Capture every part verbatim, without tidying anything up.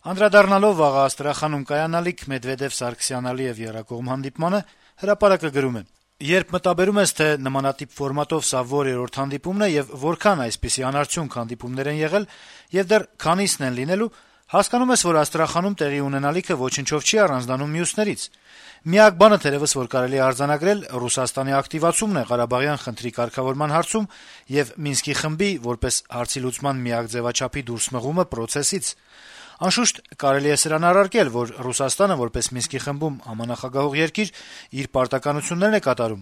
Անդրադառնալով վաղը Աստրախանում կայանալիք Մեդվեդեւ-Սարգսյան-Ալիեւ եռակողմ հանդիպմանը, «Հրապարակ»-ը գրում է. - «Երբ մտաբերում ես, թե նմանատիպ ֆորմատով սա որերորդ հանդիպումն է եւ որքան այսպիսի անարդյունք հանդիպումներ են եղել եւ դեռ քանիսն են լինելու, հասկանում ես, որ Աստրախանում տեղի ունենալիքը ոչնչով չի առանձնանում մյուսներից։ Միակ բանը, թերեւս, որ կարելի է արձանագրել, Ռուսաստանի ակտիվացումն է Ղարաբաղյան խնդրի կարգավորման հարցում եւ Մինսկի խմբի, որպես հարցի լուծման միակ ձեւաչափի դուրսմղումը պրոցեսից։ Անշուշտ, կարելի է սրան առարկել, որ Ռուսաստանը, որպես Մինսկի խմբում համանախագահող երկիր, իր պարտականություններն է կատարում,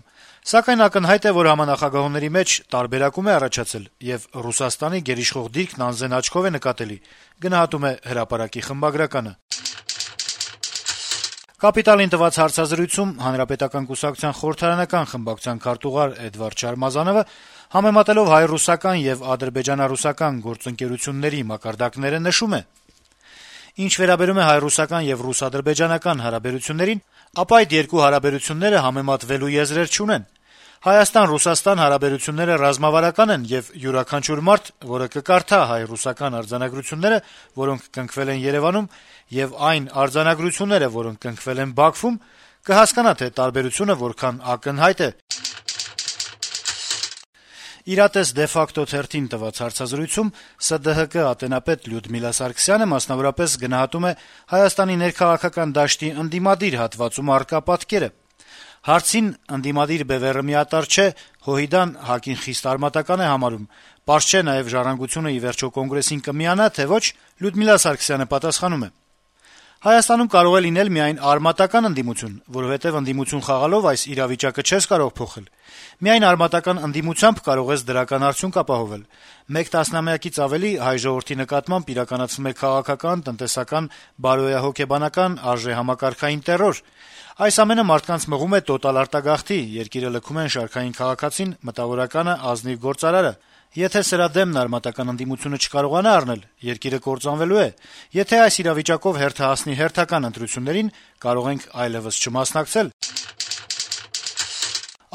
սակայն ակնհայտ է, որ համանախագահողների մեջ տարբերակում է առաջացել, եւ Ռուսաստանի գերիշխող դիրքն անզեն աչքով է նկատելի», գնահատում է «Հրապարակ»-ի խմբագրականը։ «Կապիտալ»-ին տված հարցազրույցում Հանրապետական կուսակցության խորհրդարանական խմբակցության քարտուղար Էդվարդ Շարմազանովը, համեմատելով հայ-ռուսական եւ ադրբեջանա-ռուսական գործընկերությունների մակարդակները, նշում է. - «Ինչ վերաբերում է հայ-ռուսական եւ ռուս-ադրբեջանական հարաբերություններին, ապա այդ երկու հարաբերությունները համեմատվելու եզրեր չունեն։ Հայաստան-Ռուսաստան հարաբերությունները ռազմավարական են, եւ յուրաքանչյուր մարդ, որը կկարդա հայ-ռուսական արձանագրությունները, որոնք կնքվել են Երեւանում, եւ այն արձանագրությունները, որոնք կնքվել են Բաքվում, կհասկանա, թե տարբերությունը որքան ակնհայտ է»։ «Իրատես de facto» թերթին տված հարցազրույցում ՍԴՀԿ ատենապետ Լյուդմիլա Սարգսյանը մասնավորապես գնահատում է Հայաստանի ներքաղաքական դաշտի ընդդիմադիր հատվածում առկա պատկերը։ Հարցին ընդդիմադիր բեւեռը միատարր չէ, ՀՅԴ-ն ՀԱԿ-ին խիստ արմատական է համարում, պարզ չէ նաեւ Ժառանգությունը ի վերջո Կոնգրեսին կմիանա, թե ոչ, Լյուդմիլա Սարգսյանը պատասխանում է. - «Հայաստանում կարող է լինել միայն արմատական ընդդիմություն, որովհետեւ ընդդիմություն խաղալով այս իրավիճակը չես կարող փոխել։ Միայն արմատական ընդդիմությամբ կարող ես դրական արդյունք ապահովել։ Մեկ տասնամյակից ավելի հայ ժողովրդի նկատմամբ իրականացվում է քաղաքական, տնտեսական, բարոյահոգեբանական, արժեհամակարգային տեռոր։ Այս ամենը մարդկանց մղում է տոտալ արտագաղթի, երկիրը լքում են շարքային քաղաքացին, մտավորականը, ազնիվ գործարարը։ Եթե սրա դեմն արմատական ընդդիմությունը չկարողանա առնել, երկիրը կործանվելու է։ Եթե այս իրավիճակով հերթը հասնի հերթական ընտրություններին, կարող ենք այլեւս չմասնակցել»։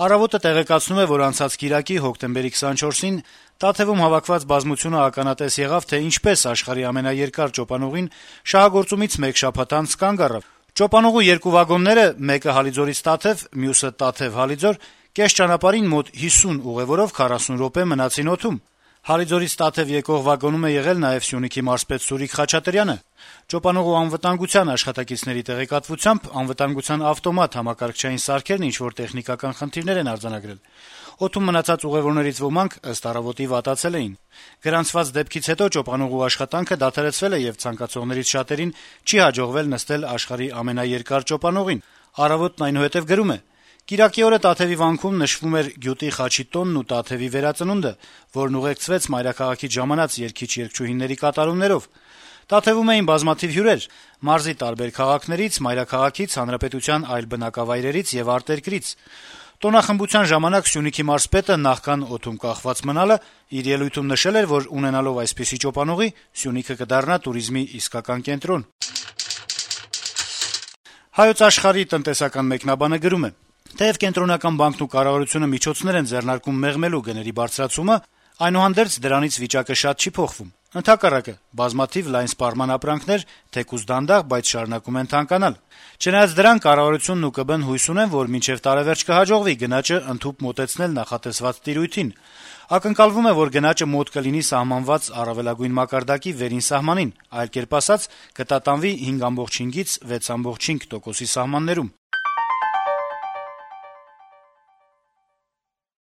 «Առավոտ»-ը տեղեկացնում է, որ անցած կիրակի հոկտեմբերի քսանչորսին Տաթեւում հավաքված բազմությունը ականատես եղավ, թե ինչպես աշխարհի ամենաերկար ճոպանուղին շահագործումից մեկ շաբաթ անց կանգ առավ։ Ճոպանուղու երկու վագոնները՝ մեկը Հալիձորից Տաթեւ, մյուսը Տաթեւ-Հալիձոր, կես ճանապարհին մոտ հիսուն ուղեւորով քառասուն րոպե մնացին օդում։ Հալիձորից Տաթեւ եկող վագոնում է եղել նաեւ Սյունիքի մարզպետ Սուրիկ Խաչատրյանը։ Ճոպանուղու անվտանգության աշխատակիցների տեղեկատվությամբ անվտանգության ավտոմատ համակարգչային սարքերն ինչ-որ տեխնիկական խնդիրներ են արձանագրել։ Օդում մնացած ուղեւորներից ոմանք, ըստ «Առավոտ»-ի, վատացել էին։ Գրանցված դեպքից հետո ճոպանուղու աշխատանքը դադարեցվել է եւ ցանկացողներից շատերին չի հաջողվել նստել աշխարհի ամենաերկար ճոպանուղին։ «Առավոտ»-ն այնուհետեւ գրում է. - «Կիրակի օրը Տաթեւի վանքում նշվում էր գյուտի խաչի տոնն ու Տաթեւի վերածնունդը, որն ուղեկցվեց մայրաքաղաքից ժամանած երգիչ-երգչուհիների կատարումներով։ Տաթեւում էին բազմաթիվ հյուրեր՝ մարզի տարբեր քաղաքներից, մայրաքաղաքից, հանրապետության այլ բնակավայրերից եւ արտերկրից։ Տոնախմբության ժամանակ Սյունիքի մարզպետը նախքան օդում կախված մնալը իր ելույթում նշել էր, որ ունենալով այսպիսի ճոպանուղի՝ Սյունիքը կդառնա տուրիզմի իսկական կենտրոն»։ «Հայոց Աշխարհ»-ի տնտեսական մեկնաբանը գրում է. - «Թեեւ Կենտրոնական բանկն ու կառավարությունը միջոցներ են ձեռնարկում մեղմելու գների բարձրացումը, այնուհանդերձ դրանից վիճակը շատ չի փոխվում։ Ընդհակառակը, բազմաթիվ լայն սպառման ապրանքներ, թեկուզ դանդաղ, բայց շարունակում են թանկանալ։ Չնայած դրան, կառավարությունն ու ԿԲ-ն հույս ունեն, որ մինչեւ տարեվերջ կհաջողվի գնաճը ընդհուպ մոտեցնել նախատեսված տիրույթին։ Ակնկալվում է, որ գնաճը մոտ կլինի սահմանված առավելագույն մակարդակի վերին սահմանին, այլ կերպ ասած՝ կտատանվի հինգ կoma հինգից վեց կoma հինգ տոկոսի սահմաններում»։